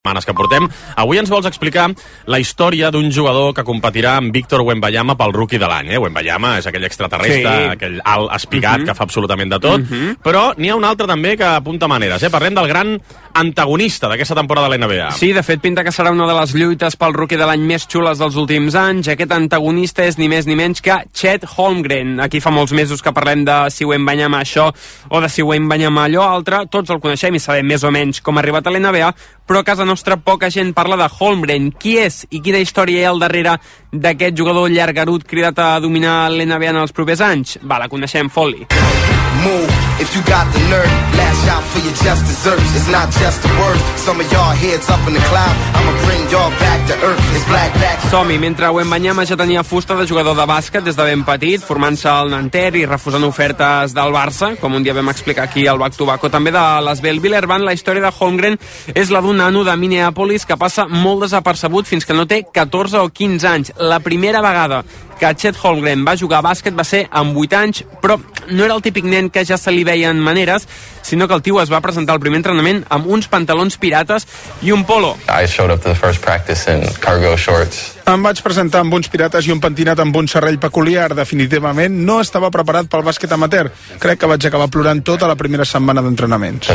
setmanes que portem. Avui ens vols explicar la història d'un jugador que competirà amb Víctor Wembanyama pel rookie de l'any. Wembanyama és aquell extraterrestre, aquell alt espigat que fa absolutament de tot, però n'hi ha un altre també que apunta maneres. Parlem del gran antagonista d'aquesta temporada de l'NBA. Sí, de fet, pinta que serà una de les lluites pel rookie de l'any més xules dels últims anys. Aquest antagonista és ni més ni menys que Chet Holmgren. Aquí fa molts mesos que parlem de si Wembanyama això o de si Wembanyama allò altre. Tots el coneixem i sabem més o menys com ha arribat a l'NBA, però a casa nostra poca gent parla de Holmgren. Qui és i quina història hi ha al darrere d'aquest jugador llargarut cridat a dominar l'NBA en els propers anys? Va, la coneixem, Foley. Move, if you got the nerve, lash out for your just desserts. It's not just the words, some of y'all heads up in the cloud. I'ma bring y'all back to earth. It's black. Som-hi, mentre Wembanyama ja tenia fusta de jugador de bàsquet des de ben petit, formant-se al Nanterre i refusant ofertes del Barça, com un dia vam explicar aquí al Back to Back, o també de l'Asvel Villerban. La història de Holmgren és la d'un nano de Minneapolis que passa molt desapercebut fins que no té 14 o 15 anys. La primera vegada que Chet Holmgren va jugar a bàsquet va ser amb 8 anys, però no era el típic nen que ja se li veien maneres, sinó que el tio es va presentar al primer entrenament amb uns pantalons pirates i un polo. I showed up to the first practice in cargo shorts. Em vaig presentar amb uns pirates i un pentinat amb un serrell peculiar. Definitivament no estava preparat pel bàsquet amateur. Crec que vaig acabar plorant tota la primera setmana d'entrenaments.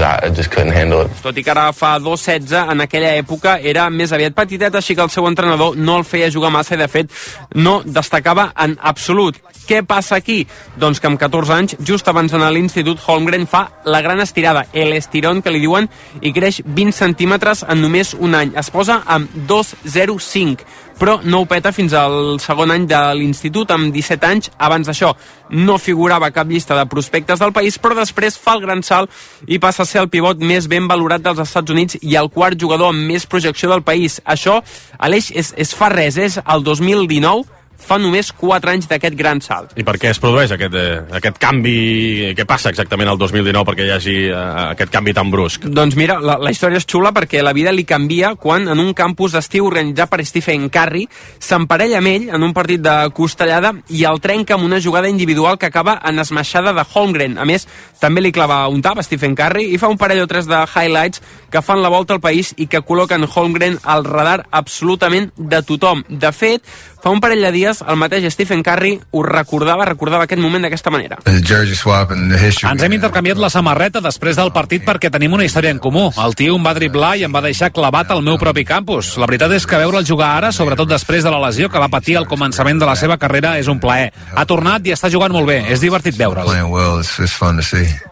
Tot i que ara fa 2,16, en aquella època era més aviat petitet, així que el seu entrenador no el feia jugar massa i, de fet, no destacava en absolut. Què passa aquí? Doncs que amb 14 anys, just abans d'anar a l'institut, Holmgren fa la gran estirada, l'estirón que li diuen, i creix 20 centímetres en només un any. Es posa amb 2,05, però no ho peta fins al segon any de l'institut, amb 17 anys. Abans d'això no figurava a cap llista de prospectes del país, però després fa el gran salt i passa a ser el pivot més ben valorat dels Estats Units i el quart jugador amb més projecció del país. Això, Aleix, és fa res, és el 2019, fa només 4 anys d'aquest gran salt. I per què es produeix aquest canvi? Què passa exactament el 2019 perquè hi hagi aquest canvi tan brusc? Doncs mira, la història és xula perquè la vida li canvia quan en un campus d'estiu organitzat per Stephen Curry s'emparella amb ell en un partit de costellada i el trenca amb una jugada individual que acaba en esmaixada de Holmgren. A més, també li clava un tap a Stephen Curry i fa un parell o tres de highlights que fan la volta al país i que col·loquen Holmgren al radar absolutament de tothom. De fet, fa un parell de dies el mateix Stephen Curry ho recordava aquest moment d'aquesta manera. Ens hem intercanviat la samarreta després del partit perquè tenim una història en comú. El tio em va driblar i em va deixar clavat al meu propi campus. La veritat és que veure'l jugar ara, sobretot després de la lesió que va patir al començament de la seva carrera, és un plaer. Ha tornat i està jugant molt bé. És divertit veure'l.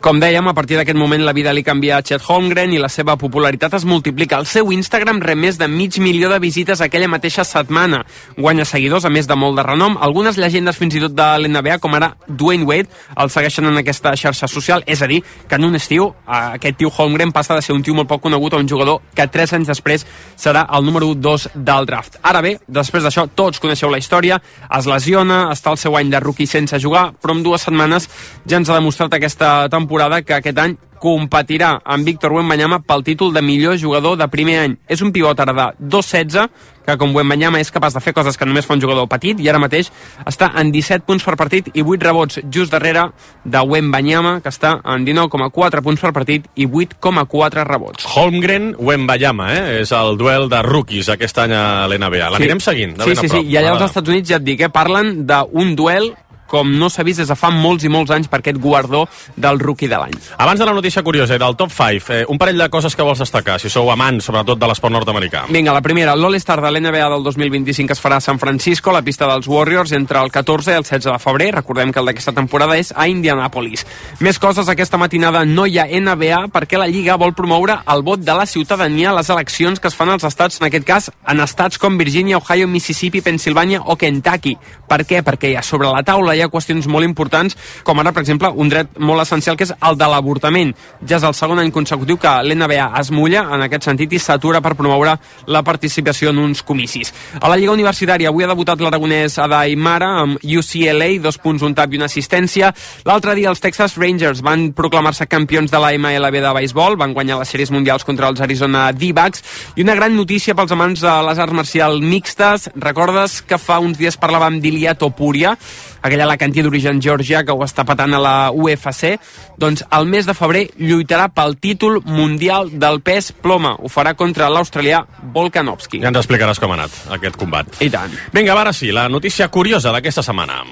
Com dèiem, a partir d'aquest moment la vida li canvia a Chet Holmgren i la seva popularitat es multiplica. El seu Instagram rep més de 500.000 de visites aquella mateixa setmana. Guanya seguidors, a més de molt de renom. Algunes llegendes fins i tot de l'NBA, com ara Dwayne Wade, el segueixen en aquesta xarxa social. És a dir, que en un estiu aquest tio Holmgren passa de ser un tio molt poc conegut a un jugador que 3 anys després serà el número 2 del draft. Ara bé, després d'això, tots coneixeu la història, es lesiona, està el seu any de rookie sense jugar, però en 2 setmanes ja ens ha demostrat aquesta temporada que aquest any competirà amb Víctor Wembanyama pel títol de millor jugador de primer any. És un pivot ara de 2,16, que com Wembanyama és capaç de fer coses que només fa un jugador petit, i ara mateix està en 17 punts per partit i 8 rebots, just darrere de Wembanyama, que està en 19,4 punts per partit i 8,4 rebots. Holmgren, Wembanyama, és el duel de rookies aquest any a l'NBA. L'anirem seguint de ben a prop. Sí, i allà als Estats Units ja et dic, parlen d'un duel com no s'ha vist des de fa molts i molts anys per aquest guardó del rookie de l'any. Abans de la notícia curiosa i del top 5, un parell de coses que vols destacar, si sou amants, sobretot de l'esport nord-americà. Vinga, la primera, l'All-Star de l'NBA del 2025 es farà a San Francisco, a la pista dels Warriors, entre el 14 i el 16 de febrer. Recordem que el d'aquesta temporada és a Indianapolis. Més coses, aquesta matinada no hi ha NBA perquè la Lliga vol promoure el vot de la ciutadania a les eleccions que es fan als estats, en aquest cas, en estats com Virginia, Ohio, Mississippi, Pennsylvania o Kentucky. Per què? Perquè ja sobre la taula hi ha qüestions molt importants, com ara, per exemple, un dret molt essencial que és el de l'avortament. Ja és el segon any consecutiu que l'NBA es mulla en aquest sentit i s'atura per promoure la participació en uns comicis. A la Lliga Universitària avui ha debutat l'aragonès Adai Mara amb UCLA, 2 punts, un tap i una assistència. L'altre dia els Texas Rangers van proclamar-se campions de la MLB de béisbol, van guanyar les sèries mundials contra els Arizona D-backs, i una gran notícia pels amants de les arts marcials mixtes. Recordes que fa uns dies parlàvem d'Ilia Topuria? aquell alacantí d'origen georgià que ho està patant a la UFC, doncs el mes de febrer lluitarà pel títol mundial del pes ploma. Ho farà contra l'australià Volkanovski. Ja ens explicaràs com ha anat aquest combat. I tant. Vinga, ara sí, la notícia curiosa d'aquesta setmana.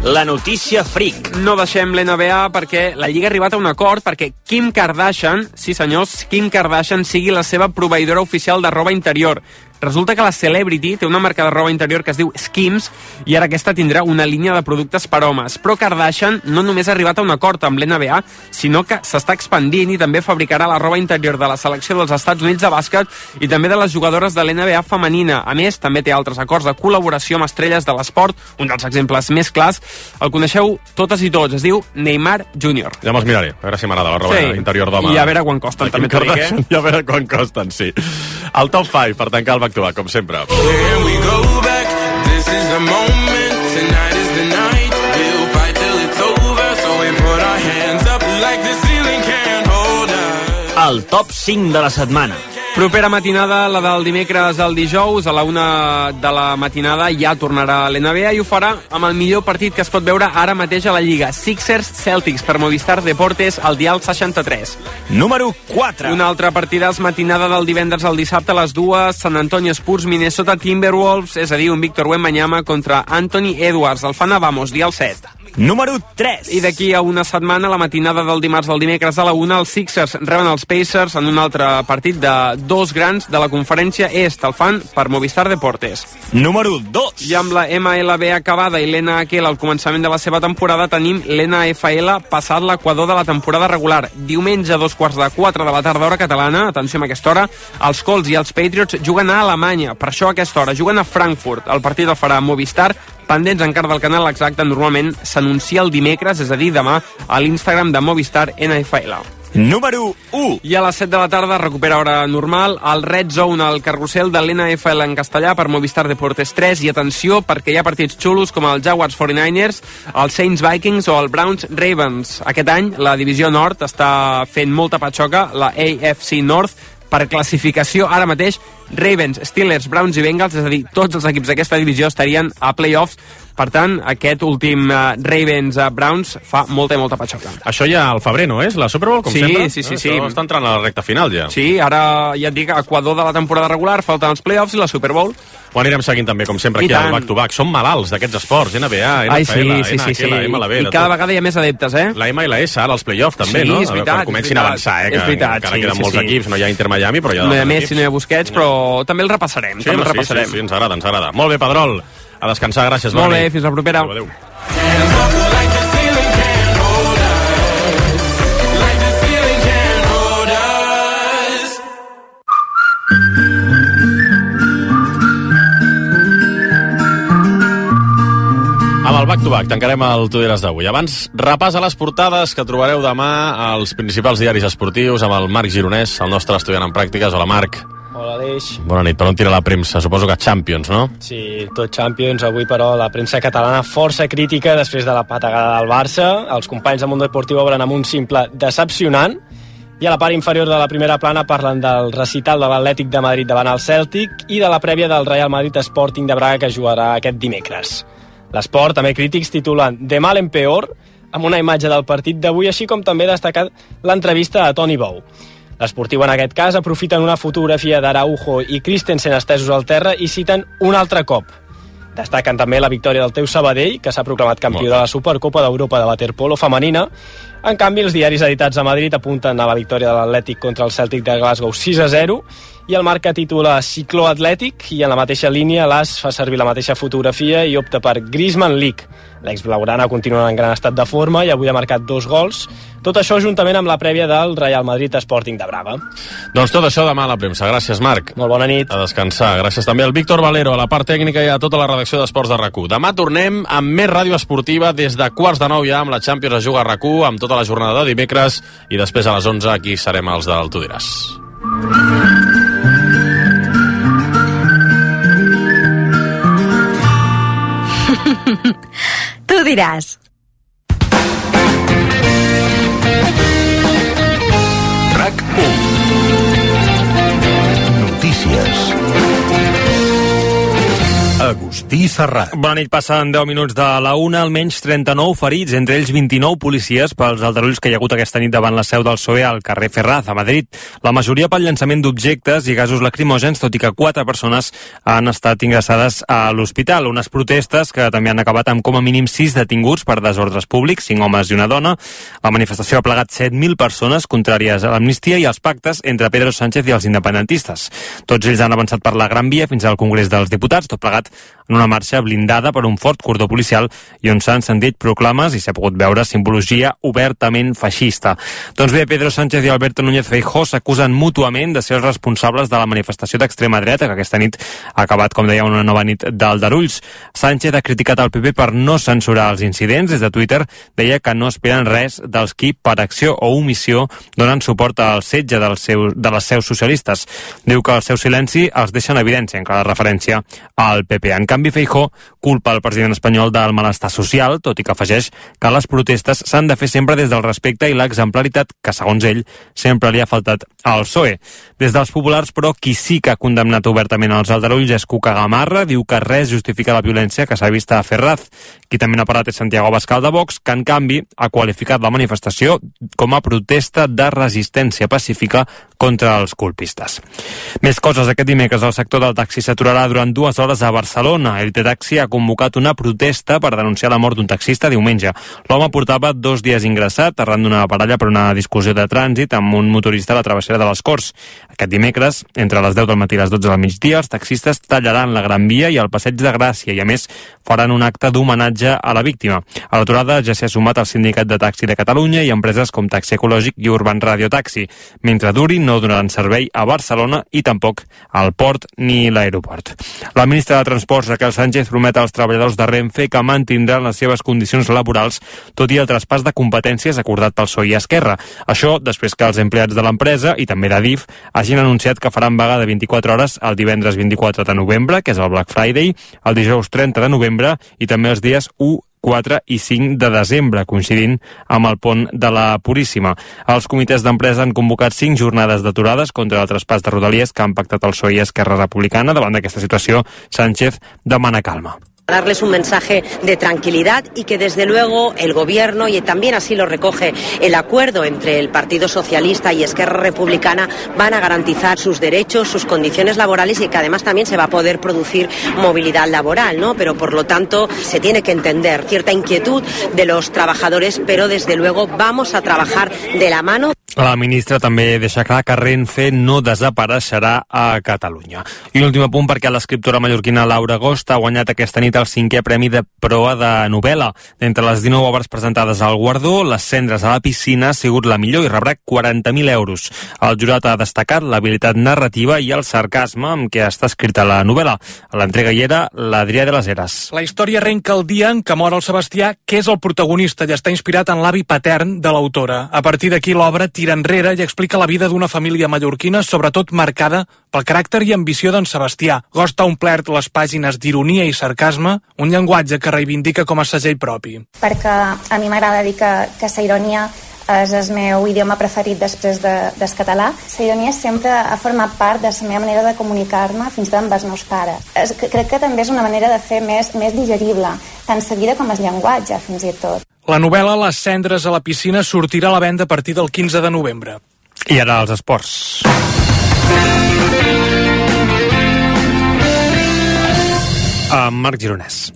La notícia freak. No deixem l'NBA perquè la Lliga ha arribat a un acord perquè Kim Kardashian, sí senyors, Kim Kardashian sigui la seva proveïdora oficial de roba interior. Resulta que la Celebrity té una marca de roba interior que es diu Skims i ara aquesta tindrà una línia de productes per homes. Però Kardashian no només ha arribat a un acord amb l'NBA, sinó que s'està expandint i també fabricarà la roba interior de la selecció dels Estats Units de bàsquet i també de les jugadores de l'NBA femenina. A més, també té altres acords de col·laboració amb estrelles de l'esport. Un dels exemples més clars el coneixeu totes i tots, es diu Neymar Jr. Ja me'ls miraré, a veure si m'agrada la roba interior d'home. I a veure quan costen, també t'ho dic, eh? I a veure quan costen, sí. El top 5, per tancar el back-to-back, com sempre. El top 5 de la setmana. Propera matinada, la del dimecres al dijous, a la 1 de la matinada ja tornarà a l'NBA i ho farà amb el millor partit que es pot veure ara mateix a la Lliga. Sixers-Celtics per Movistar Deportes al dial 63. Número 4. Una altra partida matinada del divendres al dissabte a les 2, San Antonio Spurs, Minnesota Timberwolves, és a dir, un Victor Wembanyama contra Anthony Edwards. El fan a Vamos, dial 7. Número 3. I d'aquí a una setmana, la matinada del dimarts al dimecres a la 1, els Sixers reben els Pacers en un altre partit de dos grans de la conferència est. El fan per Movistar Deportes. Número 2. I amb la MLB acabada i l'NHL al començament de la seva temporada, tenim l'NFL passat l'equador de la temporada regular. Diumenge a 3:15 de la tarda, hora catalana, atenció amb aquesta hora, els Colts i els Patriots juguen a Alemanya. Per això a aquesta hora juguen a Frankfurt. El partit el farà Movistar. Pendents encara del canal exacte, normalment s'anuncia el dimecres, és a dir, demà, a l'Instagram de Movistar NFL. Número 1. I a les 7 de la tarda recupera hora normal el Red Zone, el carrusel de l'NFL en castellà per Movistar Deportes 3. I atenció, perquè hi ha partits xulos com el Jaguars 49ers, el Saints Vikings o el Browns Ravens. Aquest any la divisió nord està fent molta patxoca, la AFC North, per classificació ara mateix Ravens, Steelers, Browns i Bengals, és a dir, tots els equips d'aquesta divisió estarien a playoffs. Per tant, aquest últim Ravens-Browns fa molta i molta patxoca. Això ja al febrer, no és? La Super Bowl, com sempre? Sí. Això està entrant a la recta final, ja. Sí, ara ja et dic, equador de la temporada regular, falten els playoffs i la Super Bowl. Ho anirem seguint també, com sempre, aquí al back-to-back. Som malalts d'aquests esports, NBA, NFL, NHL, MLB... I cada vegada hi ha més adeptes, eh? La MLS, ara els playoffs, també, no? Sí, és veritat. Quan comencin a avançar, que encara queden molts equips, no hi ha Inter Miami, però hi ha no hi ha Messi, no hi ha Busquets, però també el repassarem. Sí, ens agrada. Molt bé, Pedrol. A descansar, gràcies. Molt bé, fins la propera. Adéu. Amb el back-to-back tancarem el Tu diràs d'avui. Abans, repàs a les portades que trobareu demà als principals diaris esportius amb el Marc Gironès, el nostre estudiant en pràctiques. Hola, Marc. Hola, Aleix. Bona nit. Per on tira la premsa? Suposo que Champions, no? Sí, tot Champions. Avui, però, la premsa catalana força crítica després de la patagada del Barça. Els companys de Mundo Deportiu obren amb un simple decepcionant. I a la part inferior de la primera plana parlen del recital de l'Atlètic de Madrid davant el Cèltic i de la prèvia del Real Madrid Sporting de Braga que jugarà aquest dimecres. L'Esport, també crítics, titulen de mal en peor, amb una imatge del partit d'avui, així com també destacat l'entrevista a Toni Bou. L'Esportiu, en aquest cas, aprofiten una fotografia d'Araujo i Christensen estesos al terra i citen un altre cop. Destaquen també la victòria del Teu Sabadell, que s'ha proclamat campió de la Supercopa d'Europa de waterpolo femenina. En canvi, els diaris editats a Madrid apunten a la victòria de l'Atlètic contra el Celtic de Glasgow 6-0 i el Marca titula Cicló Atlètic i en la mateixa línia l'As fa servir la mateixa fotografia i opta per Griezmann League. L'ex-blaugrana continua en gran estat de forma i avui ha marcat 2 gols. Tot això juntament amb la prèvia del Real Madrid Sporting de Braga. Doncs tot això demà a la premsa. Gràcies, Marc. Molt bona nit. A descansar. Gràcies també al Víctor Valero, a la part tècnica i a tota la redacció d'Esports de RAC1. Demà tornem amb més ràdio esportiva des de 8:45 ja amb la Champions es juga a RAC1 amb tota la jornada de dimecres i després a les 11 aquí serem els del Tu diràs. Tu diràs. RAC1. Agustí Serrat. Bona nit, passen 10 minuts de la 1, almenys 39 ferits, entre ells 29 policies pels aldarulls que hi ha hagut aquesta nit davant la seu del PSOE al carrer Ferraz, a Madrid. La majoria pel llançament d'objectes i gasos lacrimògens, tot i que 4 persones han estat ingressades a l'hospital. Unes protestes que també han acabat amb com a mínim 6 detinguts per desordres públics, 5 homes i una dona. La manifestació ha plegat 7.000 persones contràries a l'amnistia i als pactes entre Pedro Sánchez i els independentistes. Tots ells han avançat per la Gran Via fins al Congrés dels Diputats, tot plegat en una marxa blindada per un fort cordó policial i on s'han sentit proclames i s'ha pogut veure simbologia obertament feixista. Doncs bé, Pedro Sánchez i Alberto Núñez Feijóo s'acusen mútuament de ser els responsables de la manifestació d'extrema dreta que aquesta nit ha acabat, com deia, una nova nit d'aldarulls. Sánchez ha criticat el PP per no censurar els incidents. Des de Twitter deia que no esperen res dels qui, per acció o omissió, donen suport al setge de les seus socialistes. Diu que el seu silenci els deixa en evidència, en clara referència al PP. En canvi, Feijóo culpa el president espanyol del malestar social, tot i que afegeix que les protestes s'han de fer sempre des del respecte i l'exemplaritat que, segons ell, sempre li ha faltat al PSOE. Des dels populars, però, qui sí que ha condemnat obertament els aldarulls és Cuca Gamarra, diu que res justifica la violència que s'ha vist a Ferraz. Qui també n'ha parlat és Santiago Abascal de Vox, que en canvi ha qualificat la manifestació com a protesta de resistència pacífica contra els colpistes. Més coses. Aquest dimecres el sector del taxi s'aturarà durant 2 hores a Barcelona. Elite Taxi ha convocat una protesta per denunciar la mort d'un taxista diumenge. L'home portava 2 dies ingressat arran d'una baralla per una discussió de trànsit amb un motorista a la travessera de les Corts. Aquest dimecres, entre les 10 del matí i les 12 del migdia, els taxistes tallaran la Gran Via i el Passeig de Gràcia i, a més, faran un acte d'homenatge a la víctima. A l'aturada ja s'hi ha sumat el Sindicat de Taxi de Catalunya i empreses com Taxi Ecològic i Urban Radio Taxi. Mentre duri, no donaran servei a Barcelona i tampoc al port ni l'aeroport. La ministra de Transports, Raquel Sánchez, promet als treballadors de Renfe que mantindran les seves condicions laborals, tot i el traspàs de competències acordat pel PSOE i Esquerra. Això després que els empleats de l'empresa i també d'Adif hagin anunciat que faran vaga de 24 hores el divendres 24 de novembre, que és el Black Friday, el dijous 30 de novembre i també els dies 1, 4 i 5 de desembre, coincidint amb el pont de la Puríssima. Els comitès d'empresa han convocat 5 jornades d'aturades contra el traspàs de Rodalies que han pactat el PSOE i Esquerra Republicana. Davant d'aquesta situació, Sánchez demana calma. Darles un mensaje de tranquilidad y que desde luego el gobierno, y también así lo recoge el acuerdo entre el Partido Socialista y Esquerra Republicana, van a garantizar sus derechos, sus condiciones laborales y que además también se va a poder producir movilidad laboral, ¿no? Pero por lo tanto se tiene que entender cierta inquietud de los trabajadores, pero desde luego vamos a trabajar de la mano. La ministra també deixa clar que Renfe no desapareixerà a Catalunya. I un últim apunt perquè l'escriptora mallorquina Laura Agost ha guanyat aquesta nit el 5è Premi de Proa de novel·la. D'entre les 19 obres presentades al guardó, Les cendres a la piscina ha sigut la millor i rebrà 40.000 euros. El jurat ha destacat l'habilitat narrativa i el sarcasme amb què està escrita la novel·la. A l'entrega hi era l'Adrià de les Heres. La història arrenca el dia en què mor el Sebastià, que és el protagonista i està inspirat en l'avi patern de l'autora. A partir d'aquí l'obra tira enrere i explica la vida d'una família mallorquina, sobretot marcada pel caràcter i ambició d'en Sebastià. Agost ha omplert les pàgines d'ironia i sarcasme, un llenguatge que reivindica com a segell propi. Perquè a mi m'agrada dir que la ironia és el meu idioma preferit després del català. La ironia sempre ha format part de la meva manera de comunicar-me, fins i tot amb els meus pares. Crec que també és una manera de fer més digerible, tant la vida com el llenguatge, fins i tot. La novel·la Les cendres a la piscina sortirà a la venda a partir del 15 de novembre. I ara els esports. Marc Gironès.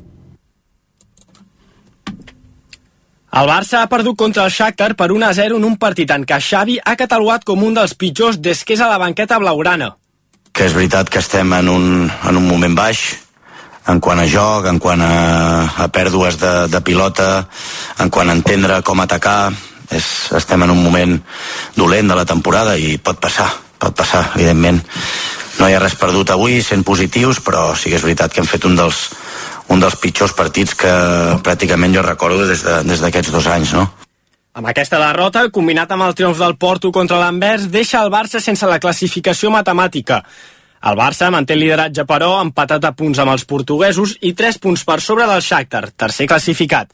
El Barça ha perdut contra el Shakhtar per 1-0 en un partit en què Xavi ha catalogat com un dels pitjors des que és a la banqueta blaugrana. Que és veritat que estem en un moment baix, en quant a joc, en quant a pèrdues de pilota, en quant a entendre com atacar. Estem en un moment dolent de la temporada i pot passar, evidentment. No hi ha res perdut avui, sent positius, però sí que és veritat que hem fet un dels pitjors partits que pràcticament jo recordo des d'aquests 2 anys, no? Amb aquesta derrota, combinat amb el triomf del Porto contra l'Anvers, deixa el Barça sense la classificació matemàtica. El Barça manté el lideratge, però, empatat a punts amb els portuguesos i 3 punts per sobre del Shakhtar, tercer classificat.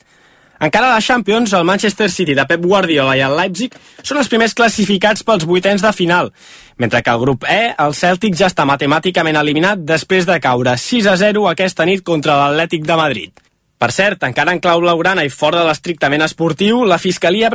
Encara a la Champions, el Manchester City de Pep Guardiola i el Leipzig són els primers classificats pels vuitens de final, mentre que al grup E, el Celtic ja està matemàticament eliminat després de caure 6-0 aquesta nit contra l'Atlètic de Madrid. Per cert, encara en clau blaugrana i fora de l'estrictament esportiu, la Fiscalia